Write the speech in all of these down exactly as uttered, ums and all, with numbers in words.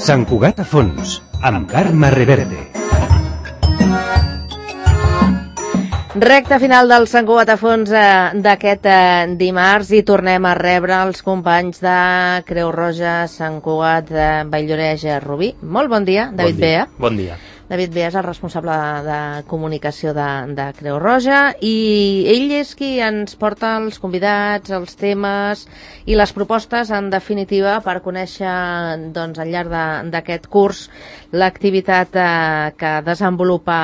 Sant Cugat a fons, amb Carme Reverte. Recta final del Sant Cugat a fons eh, d'aquest eh, dimarts i tornem a rebre els companys de Creu Roja, Sant Cugat, de Vall-lloreix, Rubí. Molt bon dia, David Bea. Bon dia. David Bea és el responsable de, de comunicació de, de Creu Roja i ell és qui ens porta els convidats, els temes i les propostes, en definitiva, per conèixer doncs, al llarg d'aquest curs l'activitat eh, que desenvolupa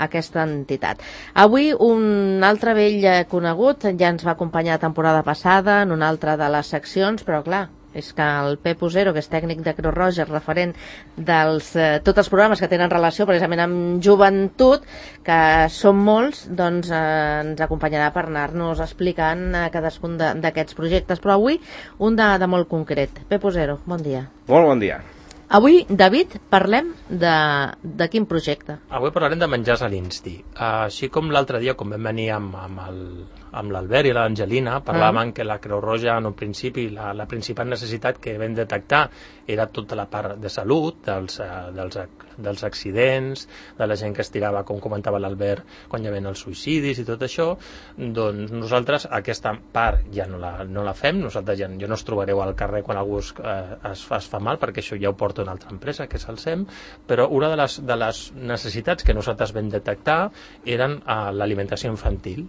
aquesta entitat. Avui un altre vell conegut ja ens va acompanyar la temporada passada en una altra de les seccions, però clar, és que el Pep Usero, que és tècnic de Creu Roja, referent dels eh, tots els programes que tenen relació precisament amb joventut, que són molts, doncs eh, ens acompanyarà per anar-nos explicant eh, cadascun d'aquests projectes, però avui un de, de molt concret. Pep Usero, bon dia. Molt bon dia. Avui, David, parlem de, de quin projecte? Avui parlarem de menjars a l'Insti. Uh, així com l'altre dia, quan vam venir amb, amb el amb l'Albert i l'Angelina, parlàvem uh. que la Creu Roja en un principi, la, la principal necessitat que vam detectar era tota la part de salut, dels, uh, dels, dels accidents, de la gent que es tirava, com comentava l'Albert, quan hi havia els suïcidis i tot això. Doncs nosaltres aquesta part ja no la, no la fem, nosaltres ja jo no us trobareu al carrer quan algú es, uh, es, es fa mal, perquè això ja ho porta una altra empresa, que és el SEM, però una de les, de les necessitats que nosaltres vam detectar eren uh, l'alimentació infantil.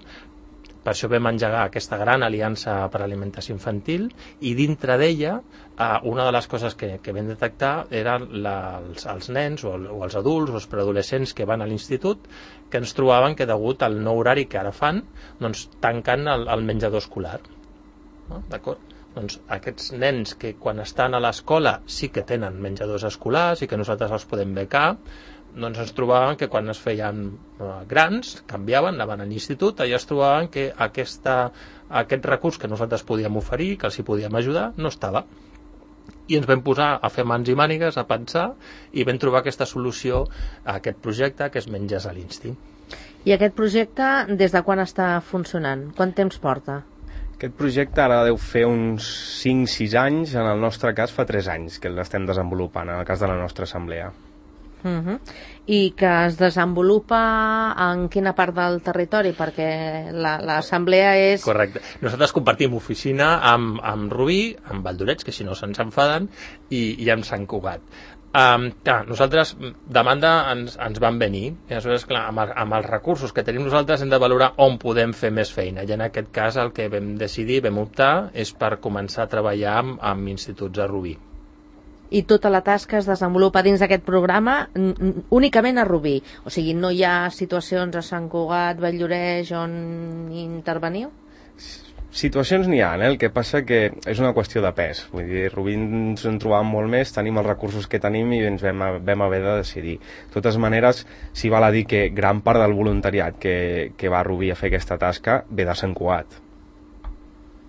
Per això vam engegar aquesta gran aliança per a l'alimentació infantil i dintre d'ella eh, una de les coses que, que vam detectar eren la, els, els nens o, el, o els adults o els preadolescents que van a l'institut que ens trobaven que degut al nou horari que ara fan, doncs tanquen el, el menjador escolar. No? D'acord? Doncs aquests nens que quan estan a l'escola sí que tenen menjadors escolars i que nosaltres els podem becar, doncs ens trobaven que quan es feien uh, grans, canviaven, anaven a l'institut, allà es trobaven que aquesta, aquest recurs que nosaltres podíem oferir, que els hi podíem ajudar, no estava. I ens vam posar a fer mans i mànigues, a pensar, i vam trobar aquesta solució a aquest projecte, que és Menjars a l'Insti. I aquest projecte, des de quan està funcionant? Quant temps porta? Aquest projecte ara deu fer uns cinc sis anys, en el nostre cas fa tres anys que l'estem desenvolupant, en el cas de la nostra assemblea. Uh-huh. I que es desenvolupa en quina part del territori? Perquè l'assemblea la, és... Correcte. Nosaltres compartim oficina amb, amb Rubí, amb Vall-lloreix, que si no se'ns enfaden, i, i amb Sant Cugat. Um, clar, nosaltres, demanda ens, ens van venir, i aleshores, clar, amb, el, amb els recursos que tenim nosaltres hem de valorar on podem fer més feina, i en aquest cas el que vam decidir, vam optar, és per començar a treballar amb, amb instituts a Rubí. I tota la tasca es desenvolupa dins d'aquest programa únicament a Rubí, o sigui, no hi ha situacions a Sant Cugat, Vall-lloreix on interveniu? Situacions n'hi ha, eh? El que passa que és una qüestió de pes. Vull dir, Rubí ens en trobàvem molt més, tenim els recursos que tenim i ens vam, vam haver de decidir. De totes maneres, s'hi val a dir que gran part del voluntariat que, que va a Rubí a fer aquesta tasca ve de Sant Cugat.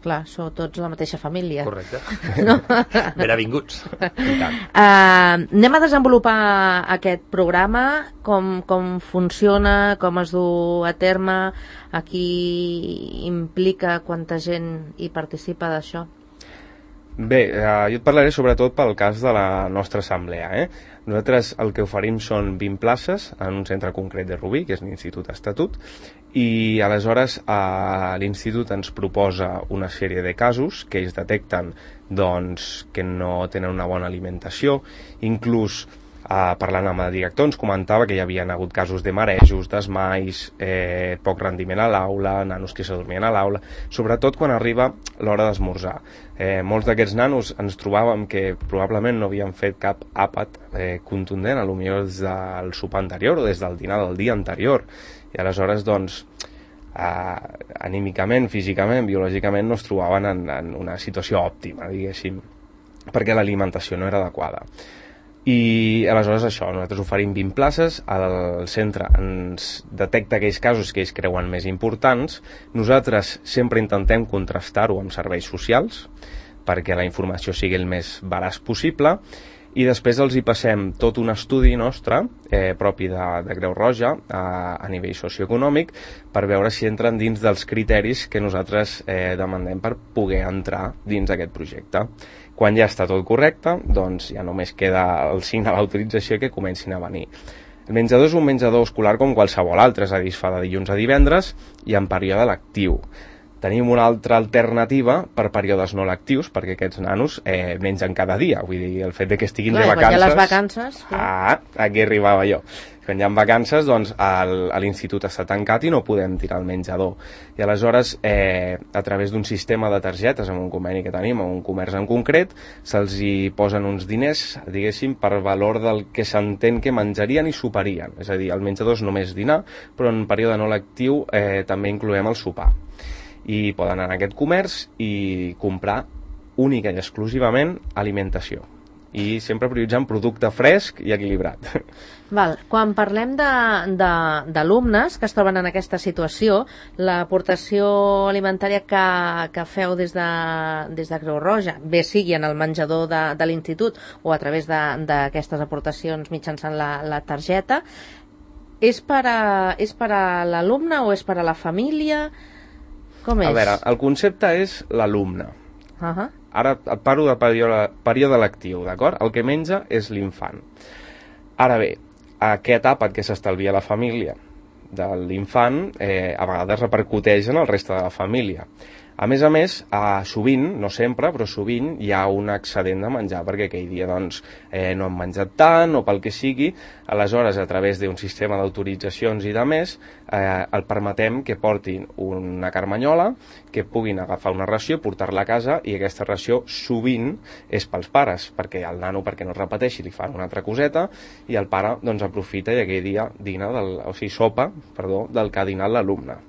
Clar, sou tots la mateixa família. Correcte. No? Benvinguts. Uh, anem a desenvolupar aquest programa, com, com funciona, com es du a terme, a qui implica, quanta gent hi participa d'això? Bé, eh, jo et parlaré sobretot pel cas de la nostra assemblea. Eh? Nosaltres el que oferim són vint places en un centre concret de Rubí, que és l'Institut Estatut, i aleshores eh, l'Institut ens proposa una sèrie de casos que ells detecten doncs, que no tenen una bona alimentació, inclús eh, parlant amb el director ens comentava que hi havia hagut casos de marejos, desmais, eh, poc rendiment a l'aula, nanos que s'adormien a l'aula, sobretot quan arriba l'hora d'esmorzar. Eh, molts d'aquests nanos ens trobàvem que probablement no havien fet cap àpat eh, contundent, a lo millor des del sopar anterior o des del dinar del dia anterior, i aleshores doncs eh, anímicament, físicament, biològicament no es trobaven en, en una situació òptima, diguéssim, perquè l'alimentació no era adequada. I aleshores això, nosaltres oferim vint places, el centre ens detecta aquells casos que ells creuen més importants, nosaltres sempre intentem contrastar-ho amb serveis socials perquè la informació sigui el més veraç possible i després els hi passem tot un estudi nostre, eh, propi de, de Creu Roja, a, a nivell socioeconòmic, per veure si entren dins dels criteris que nosaltres eh, demandem per poder entrar dins aquest projecte. Quan ja està tot correcte, doncs ja només queda el signar l'autorització que comencin a venir. El menjador és un menjador escolar com qualsevol altre, és a dir, es fa de dilluns a divendres i en període lectiu. Tenim una altra alternativa per períodes no lectius, perquè aquests nanos eh, mengen cada dia. Vull dir, el fet de que estiguin Clar, de vacances... Quan hi ha les vacances... Ah, aquí arribava jo. Quan hi ha vacances, doncs, l'institut està tancat i no podem tirar el menjador. I aleshores, eh, a través d'un sistema de targetes, amb un conveni que tenim, amb un comerç en concret, se'ls hi posen uns diners, diguéssim, per valor del que s'entén que menjarien i soparien. És a dir, el menjador és només dinar, però en període no lectiu eh, també incloem el sopar. I poden anar a aquest comerç i comprar única i exclusivament alimentació. I sempre prioritzant producte fresc i equilibrat. Val. Quan parlem d'alumnes que es troben en aquesta situació, l'aportació alimentària que, que feu des de, des de Creu Roja, bé sigui en el menjador de, de l'institut o a través d'aquestes aportacions mitjançant la, la targeta, és per a, és per a l'alumne o és per a la família? Com és? A veure, el concepte és l'alumne. Uh-huh. Ara et parlo de període, període lectiu, d'acord? El que menja és l'infant. Ara bé, a què etapa que s'estalvia la família de l'infant eh, a vegades repercuteix en el reste de la família. A més a més, eh, sovint, no sempre, però sovint hi ha un excedent de menjar, perquè aquell dia doncs, eh, no han menjat tant o pel que sigui, aleshores a través d'un sistema d'autoritzacions i de més, eh, el permetem que portin una carmanyola, que puguin agafar una ració, portar-la a casa, i aquesta ració sovint és pels pares, perquè el nano, perquè no es repeteixi, li fan una altra coseta, i el pare doncs, aprofita i aquell dia dina, del, o sigui, sopa, perdó, del que ha dinat l'alumne.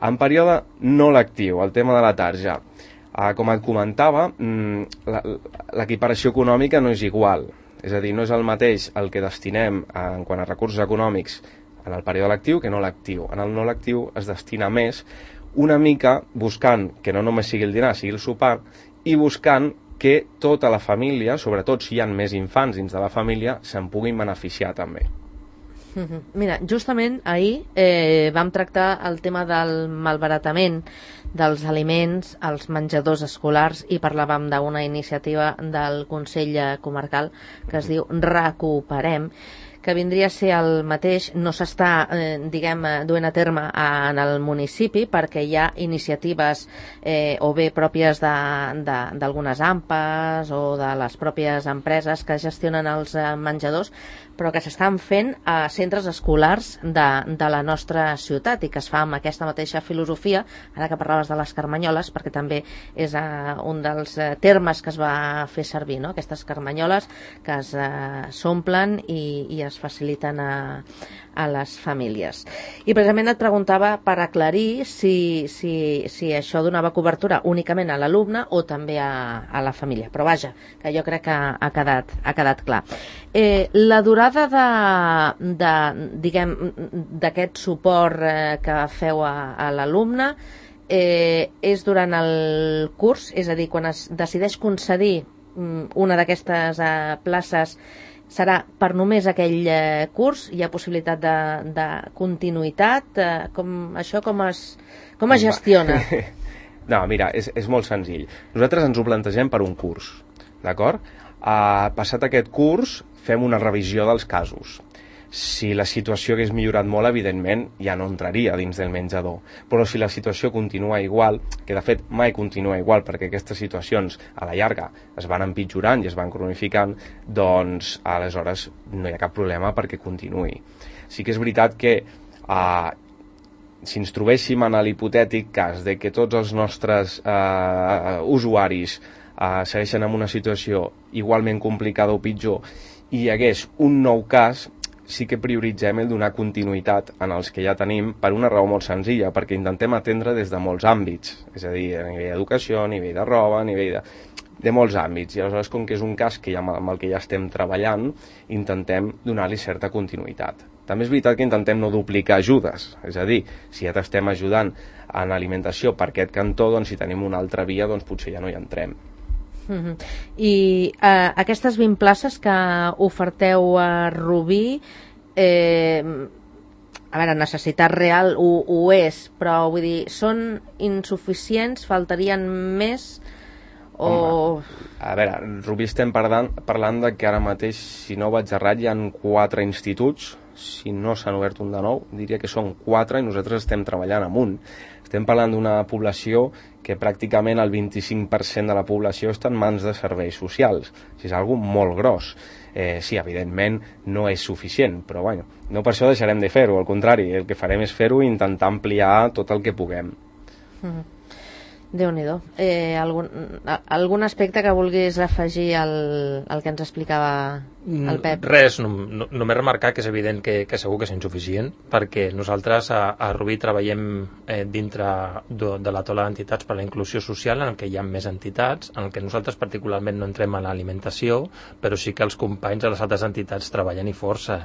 En període no lectiu, el tema de la tarja, eh, com et comentava, l'equiparació econòmica no és igual. És a dir, no és el mateix el que destinem eh, en quant a recursos econòmics en el període lectiu que no lectiu. En el no lectiu es destina més, una mica buscant que no només sigui el dinar, sigui el sopar, i buscant que tota la família, sobretot si hi ha més infants dins de la família, se'n puguin beneficiar també. Mira, justament ahir eh, vam tractar el tema del malbaratament dels aliments als menjadors escolars i parlàvem d'una iniciativa del Consell Comarcal que es diu Recuperem, que vindria a ser el mateix, no s'està, eh, diguem, duent a terme en el municipi perquè hi ha iniciatives eh, o bé pròpies d'algunes AMPAs o de les pròpies empreses que gestionen els eh, menjadors, però que s'estan fent a centres escolars de, de la nostra ciutat i que es fa amb aquesta mateixa filosofia, ara que parlaves de les carmanyoles, perquè també és eh, un dels eh, termes que es va fer servir, no? Aquestes carmanyoles que es eh, s'omplen i, i es faciliten a, a les famílies. I precisament et preguntava per aclarir si, si, si això donava cobertura únicament a l'alumne o també a, a la família, però vaja, que jo crec que ha quedat, ha quedat clar. Eh, la durada de, de, diguem, d'aquest suport eh, que feu a, a l'alumne eh, és durant el curs, és a dir, quan es decideix concedir una d'aquestes eh, places serà per només aquell eh, curs? Hi ha possibilitat de, de continuïtat? Eh, com, això com es, com es gestiona? No, mira, és, és molt senzill. Nosaltres ens ho plantegem per un curs, d'acord? Uh, passat aquest curs, fem una revisió dels casos. Si la situació hagués millorat molt, evidentment, ja no entraria dins del menjador. Però si la situació continua igual, que de fet mai continua igual, perquè aquestes situacions a la llarga es van empitjorant i es van cronificant, doncs aleshores no hi ha cap problema perquè continuï. Sí que és veritat que eh, si ens trobéssim en l'hipotètic cas de que tots els nostres eh, usuaris eh, segueixen en una situació igualment complicada o pitjor i hi hagués un nou cas, sí que prioritzem el donar continuïtat en els que ja tenim per una raó molt senzilla, perquè intentem atendre des de molts àmbits, és a dir, a nivell d'educació, a nivell de roba, a nivell de, de molts àmbits, i aleshores com que és un cas que ja, amb el que ja estem treballant, intentem donar-li certa continuïtat. També és veritat que intentem no duplicar ajudes, és a dir, si ja t'estem ajudant en alimentació per aquest cantó, doncs si tenim una altra via, doncs potser ja no hi entrem. Uh-huh. I uh, aquestes vint places que oferteu a Rubí, eh, a veure, necessitat real ho, ho és, però vull dir, són insuficients, faltarien més o... Home, a veure, Rubí estem parlant, parlant de que ara mateix, si no vaig errat, hi ha quatre instituts. Si no s'han obert un de nou, diria que són quatre i nosaltres estem treballant amb un. Estem parlant d'una població que pràcticament el vint-i-cinc per cent de la població està en mans de serveis socials. O sigui, és algo molt gros. Eh, sí, evidentment no és suficient, però bueno, no per això deixarem de fer-ho, al contrari, el que farem és fer-ho i intentar ampliar tot el que puguem. Mm. Déu-n'hi-do. Eh, algun, algun aspecte que vulguis afegir al, al que ens explicava el Pep? Res, no, no, només remarcar que és evident que, que segur que és insuficient, perquè nosaltres a, a Rubí treballem eh, dintre de, de la taula d'entitats per a la inclusió social, en el que hi ha més entitats, en el que nosaltres particularment no entrem a l'alimentació, però sí que els companys de les altres entitats treballen i força,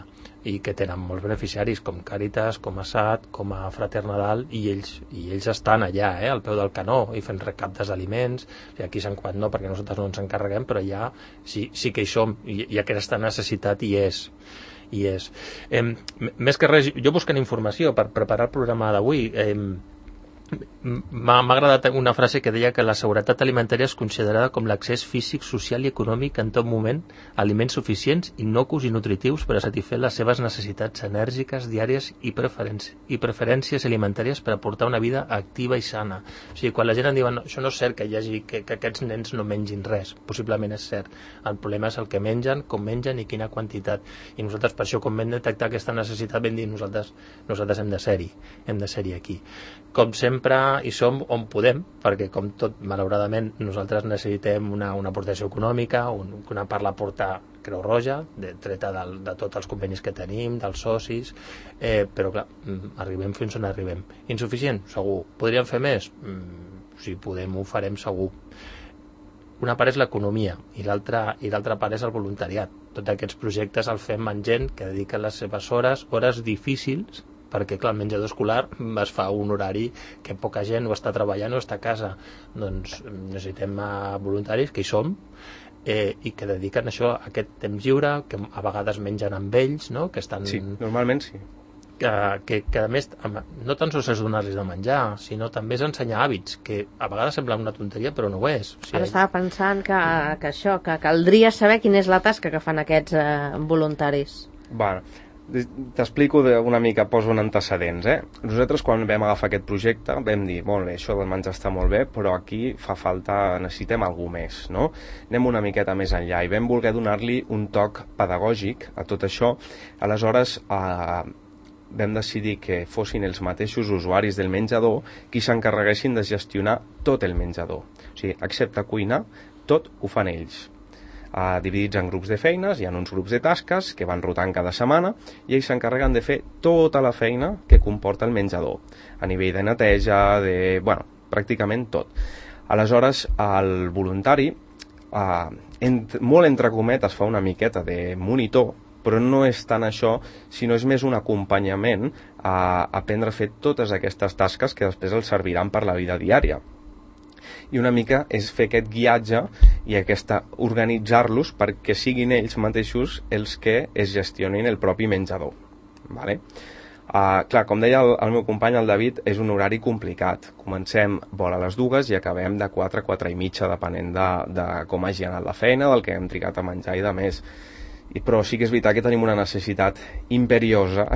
i que tenen molts beneficiaris, com Càritas, com ASAT, com a Frater Nadal, i ells, i ells estan allà, eh, al peu del canó, i fent recaptes d'aliments. O sigui, aquí Sant Quant no, perquè nosaltres no ens encarreguem, però ja sí, sí que hi som, i, i aquesta necessitat hi és. I és. Eh, més que res, jo buscant informació per preparar el programa d'avui, eh, m'ha agradat una frase que deia que la seguretat alimentària és considerada com l'accés físic, social i econòmic en tot moment a aliments suficients, innocus i nutritius per a satisfer les seves necessitats enèrgiques, diàries i, preferències, i preferències alimentàries per aportar una vida activa i sana. O sigui, quan la gent em diu no, això no és cert que hi hagi que, que aquests nens no mengin res, possiblement és cert. El problema és el que mengen, com mengen i quina quantitat. I nosaltres per això com vam detectar aquesta necessitat vam dir nosaltres, nosaltres hem de ser-hi, hem de ser-hi aquí. Com sempre i som on podem, perquè com tot, malauradament, nosaltres necessitem una, una aportació econòmica, un, una part l'aporta Creu Roja, de, treta del, de tots els convenis que tenim, dels socis, eh, però clar, arribem fins on arribem. Insuficient? Segur. Podríem fer més? Mm, si podem, ho farem segur. Una part és l'economia i l'altra i l'altra part és el voluntariat. Tots aquests projectes el fem amb gent que dedica les seves hores, hores difícils, perquè clar, el menjador escolar es fa un horari que poca gent o està treballant o està a casa. Doncs necessitem voluntaris que hi som eh, i que dediquen això a aquest temps lliure, que a vegades mengen amb ells, no? Que estan... Sí, normalment sí. Que, que, que a més, no tan sols és donar-los de menjar, sinó també és ensenyar hàbits, que a vegades sembla una tonteria però no ho és. O sigui, ara estava pensant que, que això, que caldria saber quina és la tasca que fan aquests eh, voluntaris. Bueno, t'explico una mica, poso un antecedents, eh? Nosaltres quan vam agafar aquest projecte vam dir, molt bé, això del menjar està molt bé, però aquí fa falta, necessitem alguna més, no? Anem una miqueta més enllà i vam voler donar-li un toc pedagògic a tot això. Aleshores eh, vam decidir que fossin els mateixos usuaris del menjador qui s'encarreguessin de gestionar tot el menjador. O sigui, excepte cuinar, tot ho fan ells. Uh, dividits en grups de feines, hi ha uns grups de tasques que van rotant cada setmana i ells s'encarreguen de fer tota la feina que comporta el menjador, a nivell de neteja, de... bueno, pràcticament tot. Aleshores, el voluntari, uh, ent... molt entre cometes, fa una miqueta de monitor, però no és tant això, sinó és més un acompanyament a aprendre a fer totes aquestes tasques que després els serviran per la vida diària. I una mica és fer aquest guiatge i aquesta organitzar-los perquè siguin ells mateixos els que es gestionin el propi menjador. Vale? Uh, clar, com deia el, el meu company, el David, és un horari complicat. Comencem vora les dues i acabem de quatre a quatre i mitja, depenent de, de com hagi anat la feina, del que hem trigat a menjar i de més. I, però sí que és veritat que tenim una necessitat imperiosa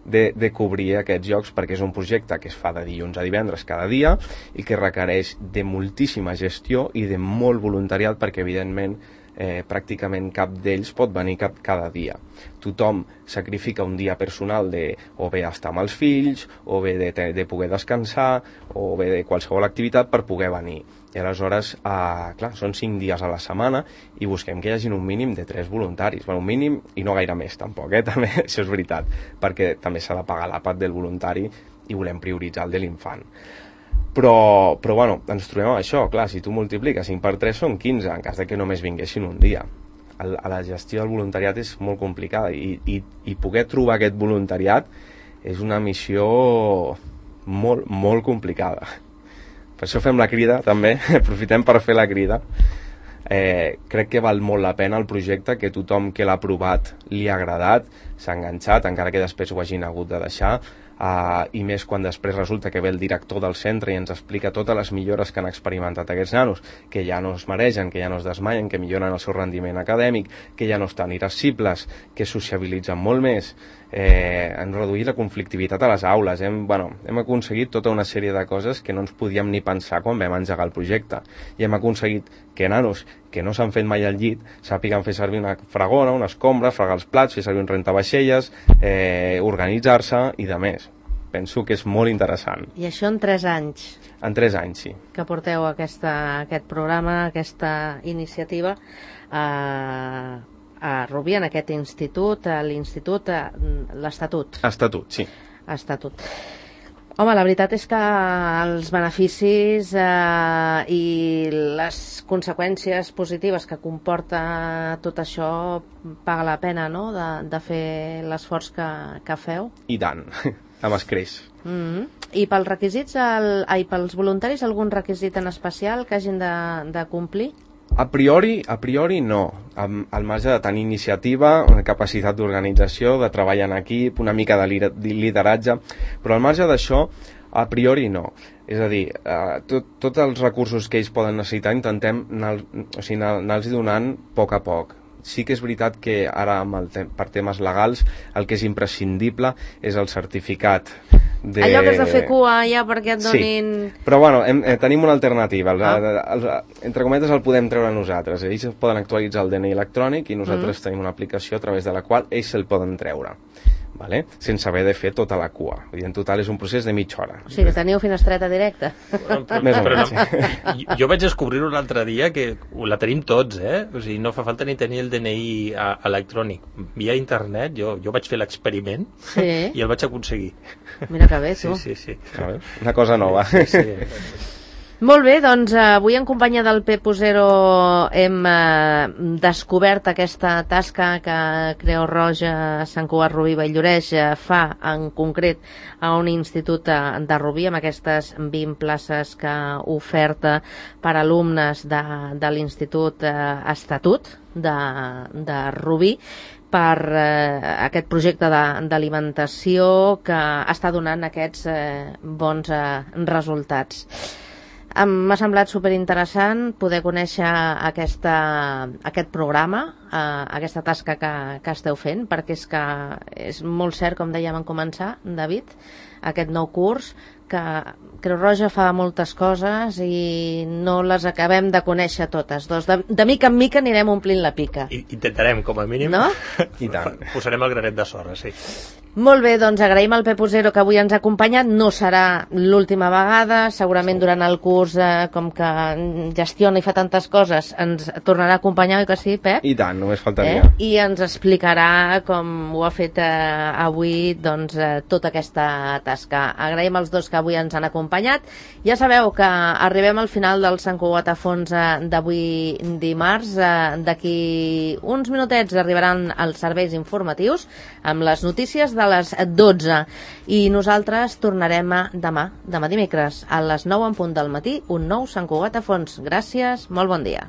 de, de cobrir aquests llocs, perquè és un projecte que es fa de dilluns a divendres cada dia i que requereix de moltíssima gestió i de molt voluntariat, perquè evidentment eh, pràcticament cap d'ells pot venir cap, cada dia. Tothom sacrifica un dia personal de o bé estar amb els fills, o bé de, de poder descansar, o bé de qualsevol activitat per poder venir. I aleshores, eh, clar, són cinc dies a la setmana i busquem que hi hagi un mínim de tres voluntaris. Bueno, un mínim i no gaire més, tampoc, eh? També, això és veritat, perquè també s'ha de pagar l'àpat del voluntari i volem prioritzar el de l'infant. Però, però bueno, ens trobem amb això, clar, si tu multipliques cinc per tres són quinze, en cas de que només vinguessin un dia. El, a la gestió del voluntariat és molt complicada i, i, i poder trobar aquest voluntariat és una missió molt, molt complicada. Per això fem la crida, també, aprofitem per fer la crida, eh, crec que val molt la pena el projecte, que tothom que l'ha provat li ha agradat, s'ha enganxat, encara que després ho hagin hagut de deixar. Uh, i més quan després resulta que ve el director del centre i ens explica totes les millores que han experimentat aquests nanos, que ja no es maregen, que ja no es desmaien, que milloren el seu rendiment acadèmic, que ja no estan irascibles, que sociabilitzen molt més, eh, han reduït la conflictivitat a les aules, hem, bueno, hem aconseguit tota una sèrie de coses que no ens podíem ni pensar quan vam engegar el projecte, i hem aconseguit que nanos que no s'han fet mai al llit sàpiguen fer servir una fregona, una escombra, fregar els plats, fer servir un rentavaixelles, eh, organitzar-se i de més. Penso que és molt interessant. I això en tres anys? En tres anys, sí. Que porteu aquesta, aquest programa, aquesta iniciativa a, a Rubí, en aquest institut, a l'institut, a l'Estatut. Estatut, sí. Estatut. Home, la veritat és que els beneficis eh, i les conseqüències positives que comporta tot això paga la pena, no?, de, de fer l'esforç que, que feu. I tant, amb escreix. Mm-hmm. I pels requisits, el, ai, pels voluntaris, algun requisit en especial que hagin de, de complir? A priori, a priori no. Al marge de tenir iniciativa, una capacitat d'organització, de treball en equip, una mica de lideratge, però al marge d'això, a priori no. És a dir, eh, tot, tots els recursos que ells poden necessitar intentem anar, o sigui, anar-los donant a poc a poc. Sí que és veritat que ara, amb el te per temes legals, el que és imprescindible és el certificat. De... Allò que has de fer cua ja perquè et donin... Sí, però bueno, hem, eh, tenim una alternativa. El, ah. el, el, entre cometes el podem treure nosaltres. Ells poden actualitzar el D N I electrònic i nosaltres mm. tenim una aplicació a través de la qual ells se'l poden treure. Vale? Sense haver de fer tota la cua. I en total és un procés de mitja hora. O sigui que teniu finestreta directa. Bueno, però, Més però no. Jo vaig descobrir-ho l'altre dia que la tenim tots, eh? O sigui, no fa falta ni tenir el D N I a, electrònic. Via internet, jo, jo vaig fer l'experiment sí. i el vaig aconseguir. Mira que bé, tu. Sí, sí, sí. Una cosa nova. Sí, sí. Molt bé, doncs avui en companyia del Pepo Zero hem eh, descobert aquesta tasca que Creu Roja Sant Cugat Rubí Valldoreix eh, fa en concret a un institut de Rubí amb aquestes vint places que oferta per alumnes de, de l'institut eh, Estatut de, de Rubí per eh, aquest projecte d'alimentació que està donant aquests eh, bons eh, resultats. M'ha semblat superinteressant poder conèixer aquesta, aquest programa, eh, aquesta tasca que, que esteu fent, perquè és que és molt cert, com dèiem en començar, David, aquest nou curs, que Creu Roja fa moltes coses i no les acabem de conèixer totes. Doncs de, de mica en mica anirem omplint la pica. I, intentarem, com a mínim. No? I tant. Posarem el granet de sorra, sí. Molt bé, doncs agraïm al Pepo Zero que avui ens ha acompanyat. No serà l'última vegada, segurament durant el curs, eh, com que gestiona i fa tantes coses, ens tornarà a acompanyar, oi que sí, Pep? I tant, només faltaria. Eh? I ens explicarà, com ho ha fet eh, avui, doncs, eh, tota aquesta tasca. Agraïm als dos que avui ens han acompanyat. Ja sabeu que arribem al final del Sant Cugat a Fons eh, d'avui dimarts. Eh, D'aquí uns minutets arribaran els serveis informatius amb les notícies de les dotze i nosaltres tornarem demà, demà dimecres a les nou en punt del matí, un nou Sant Cugat a Fons. Gràcies, molt bon dia.